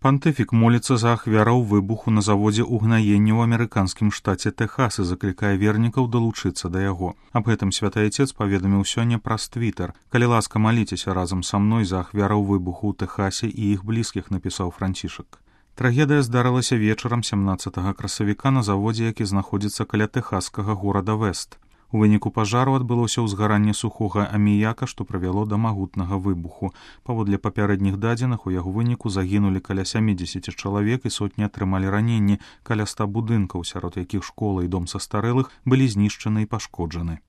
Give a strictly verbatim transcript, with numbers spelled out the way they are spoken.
Пантыфік моліцца за ахвяраў выбуху на заводзе ўгнаення ў амерыканскім штаце Тэхас і заклікае вернікаў далучыцца да яго. Аб гэтым святы айцец паведаміў сёння праз твітер. Калі ласка, маліцеся разам са мной за ахвяраў выбуху ў Тэхасе і іх блізкіх, напісаў Францішак. Трагедыя здарылася вечарам сямнаццатага красавіка на заводзе, які знаходзіцца каля тэхаскага горада Вест. У выніку пажару адбылося ўзгаранне сухога аміяка, што прывяло да магутнага выбуху. Паводле папярэдніх дадзеных, у яго выніку загінулі каля сямідзесят чалавек і сотні атрымалі раненні, каля ста будынкаў, сярод якіх школа і дом састарэлых былі знішчаны і пашкоджаны.